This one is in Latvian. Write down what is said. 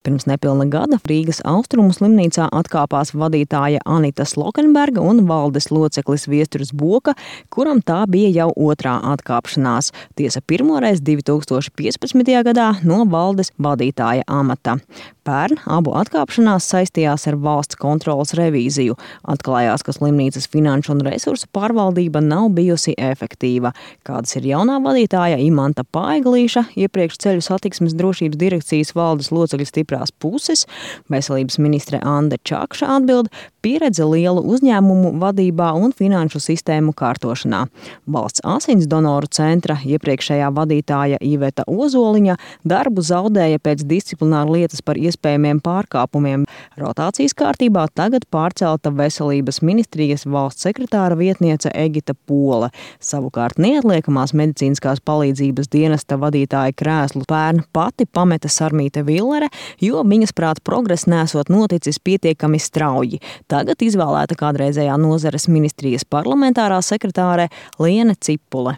Pirms nepilna gada Rīgas Austrumu slimnīcā atkāpās vadītāja Anita Slokenberga un valdes loceklis Viesturs Boka, kuram tā bija jau otrā atkāpšanās. Tiesa pirmoreiz 2015. gadā no valdes vadītāja amata. Pērn abu atkāpšanās saistījās ar valsts kontroles revīziju. Atklājās, ka slimnīcas finanšu un resursu pārvaldība nav bijusi efektīva. Kādas ir jaunā vadītāja Imanta Paiglīša, iepriekš ceļu satiksmes drošības direkcijas valdes locekļu stiprās puses, veselības ministre Ande Čakša atbild: pieredze lielu uzņēmumu vadībā un finanšu sistēmu kārtošanā. Valsts asins donoru centra iepriekšējā vadītāja Iveta Ozoliņa darbu zaudēja pēc disciplināru lietas par iespējamiem pārkāpumiem. Rotācijas kārtībā tagad pārcelta veselības ministrijas valsts sekretāra vietniece Egita Pola. Savukārt neatliekamās medicīniskās palīdzības dienesta vadītāja krēslu pērn pati pameta Sarmīte Villere, jo viņas prāt progress nesot noticis pietiekami strauji. Tagad izvēlēta kādreizējā nozares ministrijas parlamentārā sekretāre Liene Cipule.